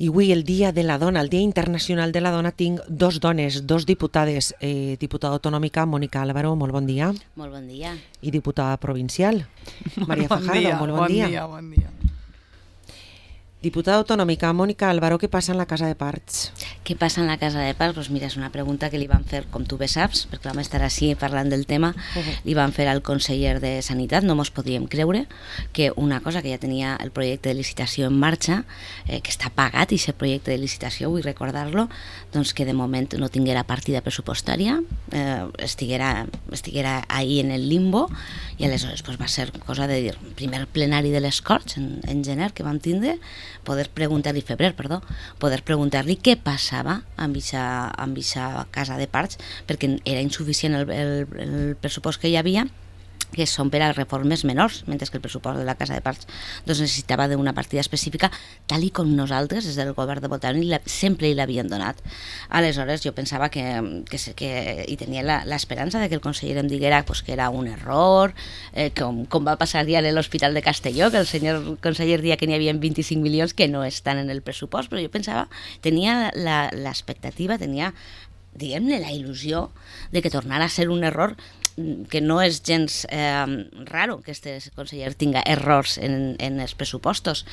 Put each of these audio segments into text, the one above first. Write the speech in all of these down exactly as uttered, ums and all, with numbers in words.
I avui, el Dia de la Dona, el Dia Internacional de la Dona, tinc dos dones, dos diputades. Eh, diputada autonòmica, Mònica Álvaro, molt bon dia. Molt bon dia. I diputada provincial, Maria bon Fajardo, dia, molt bon, bon dia. dia. Bon dia, Diputada autonòmica, Mònica Álvaro, què passa en la Casa de Parts? Què passa en la Casa de Parts? Pues mira, és una pregunta que li van fer, com tu bé saps, perquè vam estar així parlant del tema, uh-huh. li van fer al conseller de Sanitat. No mos podíem creure que una cosa que ja tenia el projecte de licitació en marxa, eh, que està pagat, i aquest projecte de licitació, vull recordar-lo, doncs que de moment no tinguera partida pressupostària, eh, estiguera, estiguera ahí en el limbo, i aleshores pues, va ser cosa de dir, primer plenari de les Corts en, en gener que vam tindre, poder preguntar-li, febrer, perdó, poder preguntar-li què passava amb aquesta Casa de Parts, perquè era insuficient el, el, el pressupost que hi havia, que són per a reformes menors, mentre que el pressupost de la Casa de Parts doncs necessitava d'una partida específica, tal i com nosaltres, des del govern de Botànic, sempre li l'havien donat. Aleshores, jo pensava que, que, que i tenia l'esperança de que el conseller em diguera pues, que era un error, eh, com, com va passar ja a l'Hospital de Castelló, que el senyor conseller dia que n'hi havia vint-i-cinc milions que no estan en el pressupost, però jo pensava, tenia l'expectativa, tenia, diguem-ne, la il·lusió de que tornara a ser un error, que no és gens eh, raro que este conseller tinga errors en, en els pressupostos,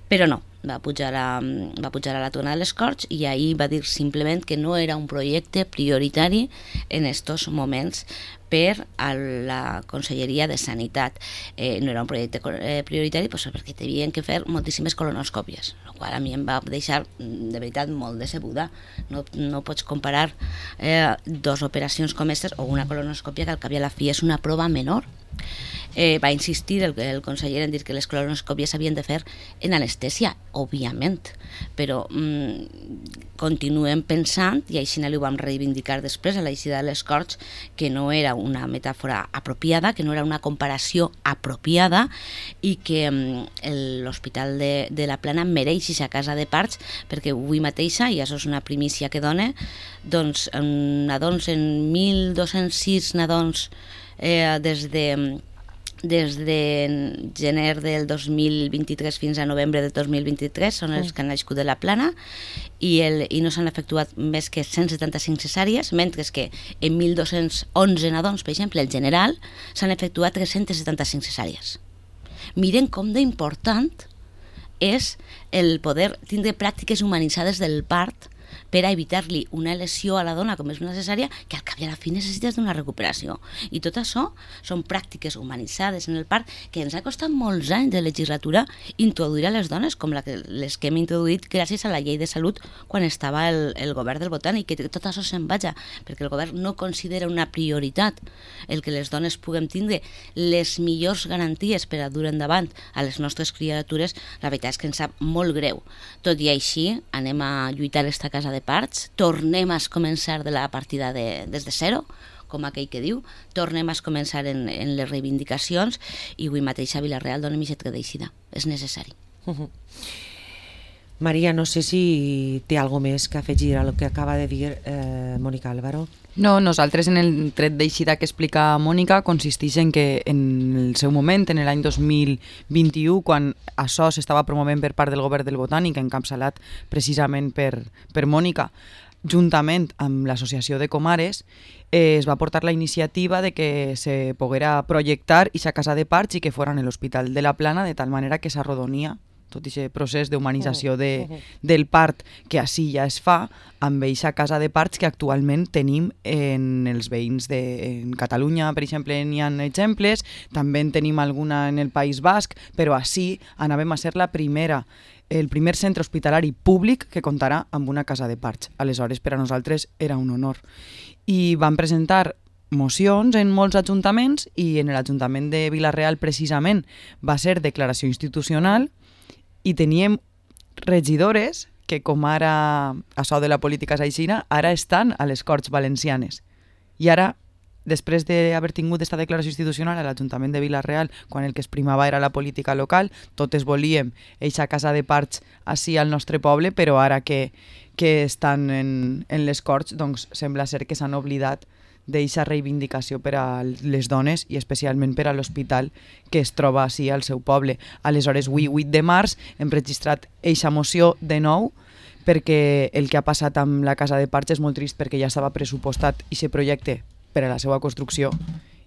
però no, va pujar a, va pujar a la tona de les Corts i ahir va dir simplement que no era un projecte prioritari en estos moments per a la Conselleria de Sanitat. Eh, no era un projecte eh, prioritari pues, perquè tenien que fer moltíssimes colonoscòpies, el qual a mi em va deixar de veritat molt decebuda. No, no pots comparar eh, dos operacions com aquestes o una colonoscòpia que al cap i a la fi és una prova menor. Eh, va insistir el, el conseller en dir que les colonoscòpies s'havien de fer en anestèsia, òbviament, però mm, continuem pensant, i així ho vam reivindicar després a l'eixida de les Corts, que no era una metàfora apropiada, que no era una comparació apropiada i que mm, l'Hospital de, de la Plana mereix aquesta Casa de Parts, perquè avui mateixa, i això és una primícia que dona, doncs nadons en mil dos-cents sis nadons eh, des de des de gener del dos mil vint-i-tres fins a novembre del dos mil vint-i-tres són els que han nascut de la Plana i, el, i no s'han efectuat més que cent setanta-cinc cesàries, mentre que en mil dos-cents onze nadons, per exemple, el general, s'han efectuat tres-cents setanta-cinc cesàries. Miren com d'important és el poder tindre pràctiques humanitzades del part per a evitar-li una lesió a la dona com és una cesària, que al cap i a la fi necessites d'una recuperació. I tot això són pràctiques humanitzades en el part que ens ha costat molts anys de legislatura introduir a les dones, com la que, les que hem introduït gràcies a la llei de salut quan estava el, el govern del Botànic, que tot això se'n vaja, perquè el govern no considera una prioritat el que les dones puguem tindre les millors garanties per a dur endavant a les nostres criatures. La veritat és que ens sap molt greu. Tot i així, anem a lluitar esta Casa de Parts, tornem a començar de la partida de, des de zero, com aquell que diu, tornem a començar en, en les reivindicacions i avui mateix a Vila-real donem aquest que d'eixida. És necessari. Uh-huh. Maria, no sé si té alguna més que afegir a el que acaba de dir eh, Mònica Álvaro. No, nosaltres en el tret d'eixida que explica Mònica consisteix en que en el seu moment, en l'any dos mil vint-i-u, quan això s'estava promovent per part del govern del Botànic, encapçalat precisament per, per Mònica, juntament amb l'Associació de Comares, eh, es va portar la iniciativa de que se poguera projectar aquesta Casa de Parts i que fora en l'Hospital de la Plana, de tal manera que s'arrodonia tot aquest procés d'humanització de, del part que així ja es fa amb aquesta Casa de Parts que actualment tenim en els veïns de en Catalunya, per exemple, n'hi ha exemples, també en tenim alguna en el País Basc, però així anàvem a ser la primera, el primer centre hospitalari públic que comptarà amb una Casa de Parts. Aleshores, per a nosaltres era un honor. I vam presentar mocions en molts ajuntaments i en l'Ajuntament de Vila-real precisament va ser declaració institucional i teníem regidores que, com ara això de la política saixina, ara estan a les Corts Valencianes. I ara, després d'haver tingut aquesta declaració institucional a l'Ajuntament de Vila-real, quan el que es primava era la política local, totes volíem eixa Casa de Parts així al nostre poble, però ara que, que estan en, en les Corts, doncs sembla ser que s'han oblidat d'eixa reivindicació per a les dones i especialment per a l'hospital que es troba així al seu poble. Aleshores, avui, vuit de març, hem registrat eixa moció de nou perquè el que ha passat amb la Casa de Parts és molt trist, perquè ja estava pressupostat i se projecte per a la seva construcció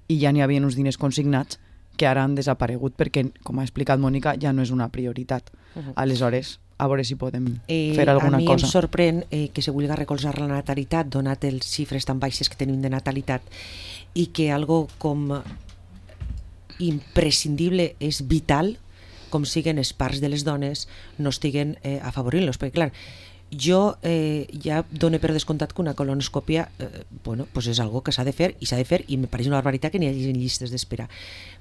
i ja n'hi havia uns diners consignats que ara han desaparegut perquè, com ha explicat Mònica, ja no és una prioritat. Uh-huh. Aleshores, a veure si podem eh, fer alguna cosa. A mi cosa. Em sorprèn eh, que se vulgui recolzar la natalitat, donat les xifres tan baixes que tenim de natalitat, i que algo com imprescindible és vital, com siguen els parts de les dones, no estiguen eh, afavorint-los. Perquè, clar, jo eh, ja dono per descomptat que una colonoscòpia eh, bueno, pues és algo que s'ha de fer, i s'ha de fer, i me pareix una barbaritat que n'hi hagi llistes d'espera.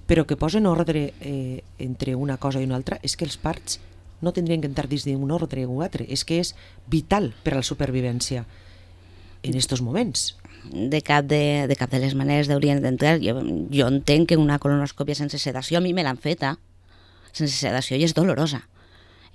Però que posen ordre eh, entre una cosa i una altra és que els parts no tindrien que entrar dins d'un ordre o un altre, és que és vital per a la supervivència en estos moments. De cap de, de cap de les maneres haurien d'entrar. Jo, jo entenc que una colonoscòpia sense sedació, a mi me l'han feta, sense sedació, i és dolorosa.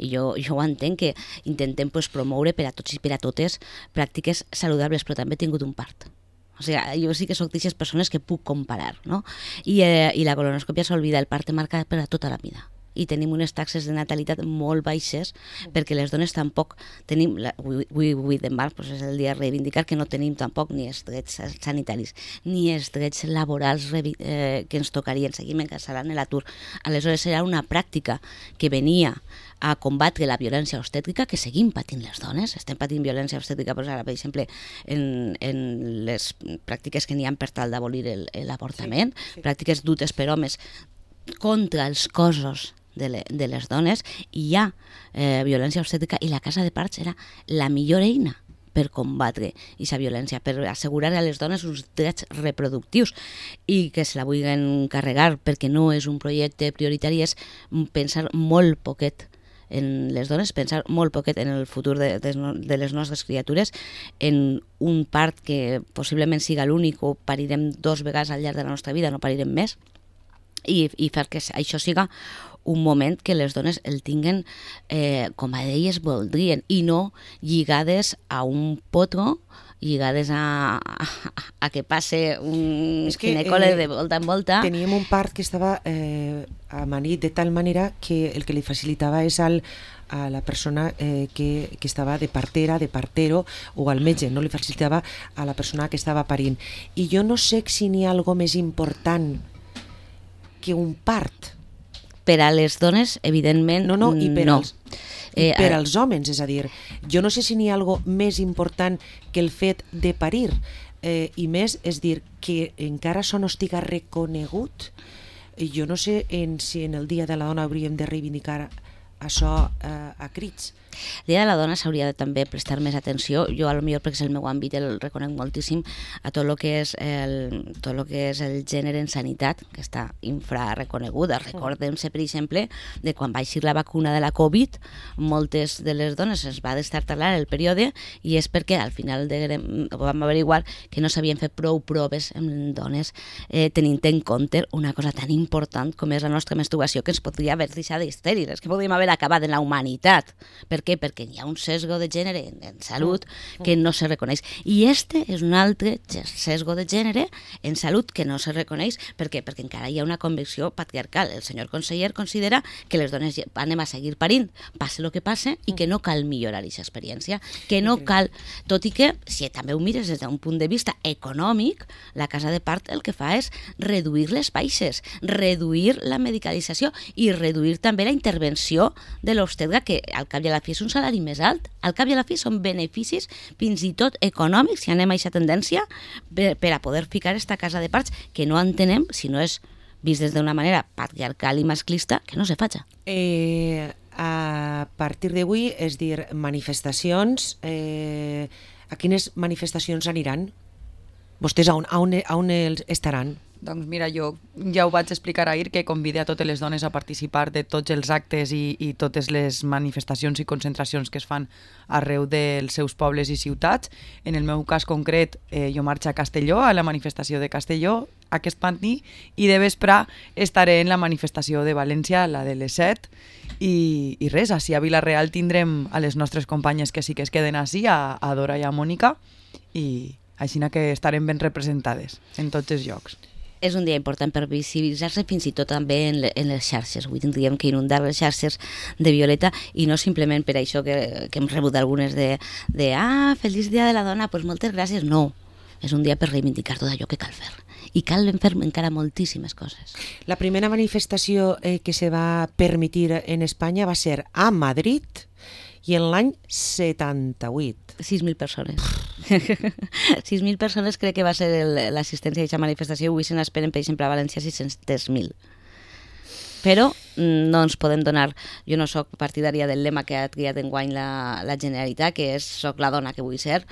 I jo, jo ho entenc, que intentem pues, promoure per a tots i per a totes pràctiques saludables, però també he tingut un part. O sigui, jo sí que soc d'aquestes persones que puc comparar, no? I, eh, i la colonoscòpia s'olvida, el part te marca per a tota la vida. I tenim unes taxes de natalitat molt baixes perquè les dones tampoc tenim, avui de març pues és el dia de reivindicar que no tenim tampoc ni els drets sanitaris ni els drets laborals eh, que ens tocarien, seguim encarcelant l'atur. Aleshores serà una pràctica que venia a combatre la violència obstètrica que seguim patint les dones, estem patint violència obstètrica pues ara, per exemple, en, en les pràctiques que n'hi ha per tal d'abolir l'avortament, sí, sí. Pràctiques dutes per homes contra els cossos de, le, de les dones, i hi ha eh, violència obstètrica, i la Casa de Parts era la millor eina per combatre aquesta violència, per assegurar a les dones uns drets reproductius, i que se la vulguin carregar perquè no és un projecte prioritari, és pensar molt poquet en les dones, pensar molt poquet en el futur de, de, de les nostres criatures, en un part que possiblement siga l'únic, o parirem dos vegades al llarg de la nostra vida, no parirem més, i, i fer que això siga un moment que les dones el tinguen eh, com a elles voldrien, i no lligades a un potro, lligades a, a, a que passe un ginecòleg eh, de volta en volta. Teníem un part que estava eh, amanit de tal manera que el que li facilitava és al, a la persona eh, que, que estava de partera, de partero, o al metge, no li facilitava a la persona que estava parint. I jo no sé si n'hi ha alguna més important que un part. Per a les dones, evidentment, no. No, i per, no. als, i eh, per als homes, és a dir, jo no sé si n'hi ha alguna més important que el fet de parir, eh, i més, és dir, que encara això no estiga reconegut. Jo no sé en, si en el Dia de la Dona hauríem de reivindicar això eh, a crits. El Dia de la Dona s'hauria de també prestar més atenció. Jo, a lo millor, perquè és el meu àmbit, el reconec moltíssim a tot el que és el, tot lo que és el gènere en sanitat, que està infrarreconeguda. Recordem-se, per exemple, de quan va eixir la vacuna de la Covid, moltes de les dones es va destartalar el període, i és perquè al final de, vam averiguar que no s'havien fet prou proves en dones, eh, tenint en compte una cosa tan important com és la nostra menstruació, que ens podria haver deixat estèrils, que podríem haver acabat en la humanitat. Per què? Perquè hi ha un sesgo de gènere en salut que no se reconeix. I este és un altre sesgo de gènere en salut que no se reconeix. Per què? Perquè encara hi ha una convicció patriarcal. El senyor conseller considera que les dones anem a seguir parint, passe el que passe, i que no cal millorar aquesta experiència, que no cal, tot i que, si també ho mires des d'un punt de vista econòmic, la Casa de Part el que fa és reduir les baixes, reduir la medicalització i reduir també la intervenció de l'obstetra, que al cap i a la fi és un salari més alt. Al cap i a la fi són beneficis fins i tot econòmics, si anem a aquesta tendència, per, per a poder ficar esta Casa de Parts, que no entenem, si no és vist des d'una manera patriarcal i masclista, que no se faci. Eh, a partir d'avui, és dir, manifestacions, eh, a quines manifestacions aniran? Vostès a on, a on, a on estaran? Doncs mira, jo ja ho vaig explicar ahir, que convide a totes les dones a participar de tots els actes i, i totes les manifestacions i concentracions que es fan arreu dels seus pobles i ciutats. En el meu cas concret, eh, jo marxo a Castelló, a la manifestació de Castelló, aquest matí, i de vespre estaré en la manifestació de València, la de les set, i, i res, així a Vila-real tindrem a les nostres companyes que sí que es queden així, a, a Dora i a Mònica, i així que estarem ben representades en tots els llocs. és un dia important per visibilitzar-se fins i tot també en, le, en les xarxes. Avui tindríem que inundar les xarxes de violeta i no simplement per això que, que hem rebut algunes de, de ah, feliç dia de la dona, doncs pues moltes gràcies. No, és un dia per reivindicar tot allò que cal fer. I cal fer encara moltíssimes coses. La primera manifestació eh, que se va permetir en Espanya va ser a Madrid i en l'any setanta-vuit. sis mil persones. sis mil persones crec que va ser l'assistència a aquesta manifestació. Avui se n'esperen, per exemple, a València sis-cents mil. Però no ens podem donar... Jo no sóc partidària del lema que ha triat enguany la, la Generalitat, que és soc la dona que vull ser,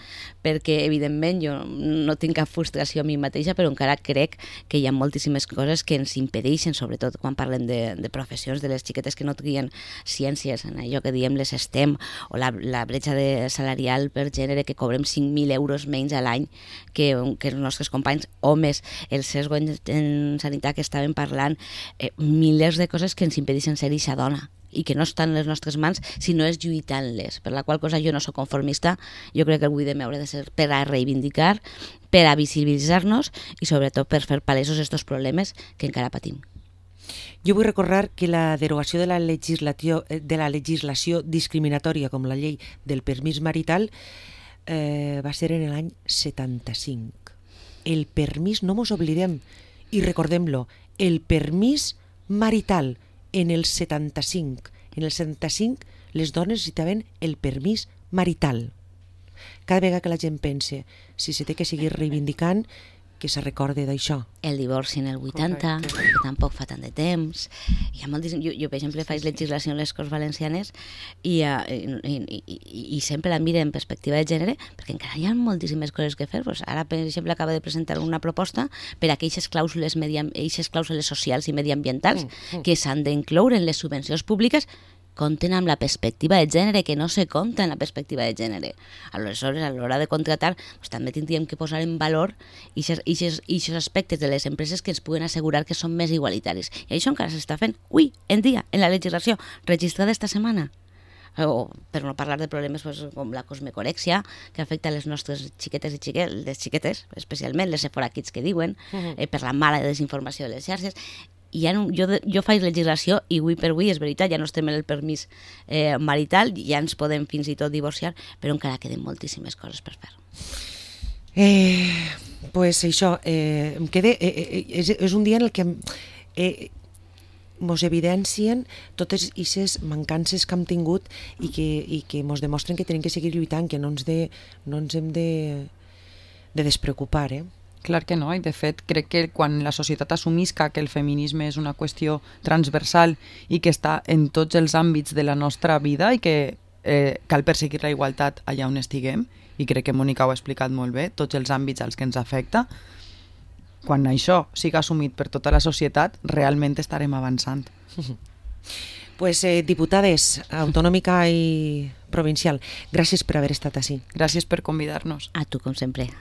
perquè, evidentment, jo no tinc cap frustració a mi mateixa, però encara crec que hi ha moltíssimes coses que ens impedeixen, sobretot quan parlem de, de professions, de les xiquetes que no trien ciències, en allò que diem les STEM, o la, la bretxa de salarial per gènere, que cobrem cinc mil euros menys a l'any que, que els nostres companys homes, el sesgo en, en sanitat que estaven parlant, eh, milers de coses que ens impedeixen ser eixa dona i que no estan en les nostres mans si no és lluitant-les, per la qual cosa jo no sóc conformista. Jo crec que el vuit de haurà de ser per a reivindicar, per a visibilitzar-nos i sobretot per fer palesos estos problemes que encara patim. Jo vull recordar que la derogació de la legislació, de la legislació discriminatòria com la llei del permís marital eh, va ser en l'any setanta-cinc. El permís, no mos oblidem i recordem-lo, el permís marital en el setanta-cinc. En el setanta-cinc les dones necessitaven el permís marital. Cada vegada que la gent pense si se té que seguir reivindicant, que se recorde d'això. El divorci en el vuitanta, correcte, que tampoc fa tant de temps. Hi ha moltíssim... jo, jo, per exemple, faig legislació en les Corts Valencianes i, uh, i, i, i, i sempre la miro en perspectiva de gènere, perquè encara hi ha moltíssimes coses que fer. Pues ara, per exemple, acaba de presentar una proposta per a aquelles clàusules, mediam... clàusules socials i mediambientals mm, mm. que s'han d'incloure en les subvencions públiques, compten amb la perspectiva de gènere, que no se compta en la perspectiva de gènere. Aleshores, a l'hora de contratar, doncs, també tindríem que posar en valor aquests aspectes de les empreses que ens puguen assegurar que són més igualitaris. I això encara s'està fent avui en dia, en la legislació registrada esta setmana. O, per no parlar de problemes pues, com la cosmecorèxia, que afecta les nostres xiquetes i xiquets, les xiquetes, especialment les Sephora Kids que diuen, uh-huh. eh, per la mala desinformació de les xarxes. I ja no, jo, jo faig legislació i avui per avui, és veritat, ja no estem en el permís eh, marital, ja ens podem fins i tot divorciar, però encara queden moltíssimes coses per fer. Eh, pues això, eh, em quede, eh, és, és un dia en el que eh, mos evidencien totes aquestes mancances que hem tingut i que, i que mos demostren que tenim que seguir lluitant, que no ens, de, no ens hem de, de despreocupar, eh? Clar que no, i de fet crec que quan la societat assumisca que el feminisme és una qüestió transversal i que està en tots els àmbits de la nostra vida i que eh, cal perseguir la igualtat allà on estiguem, i crec que Mònica ho ha explicat molt bé, tots els àmbits als que ens afecta, quan això siga assumit per tota la societat, realment estarem avançant. Pues eh, diputades autonòmica i provincial, gràcies per haver estat així. Gràcies per convidar-nos. A tu, com sempre.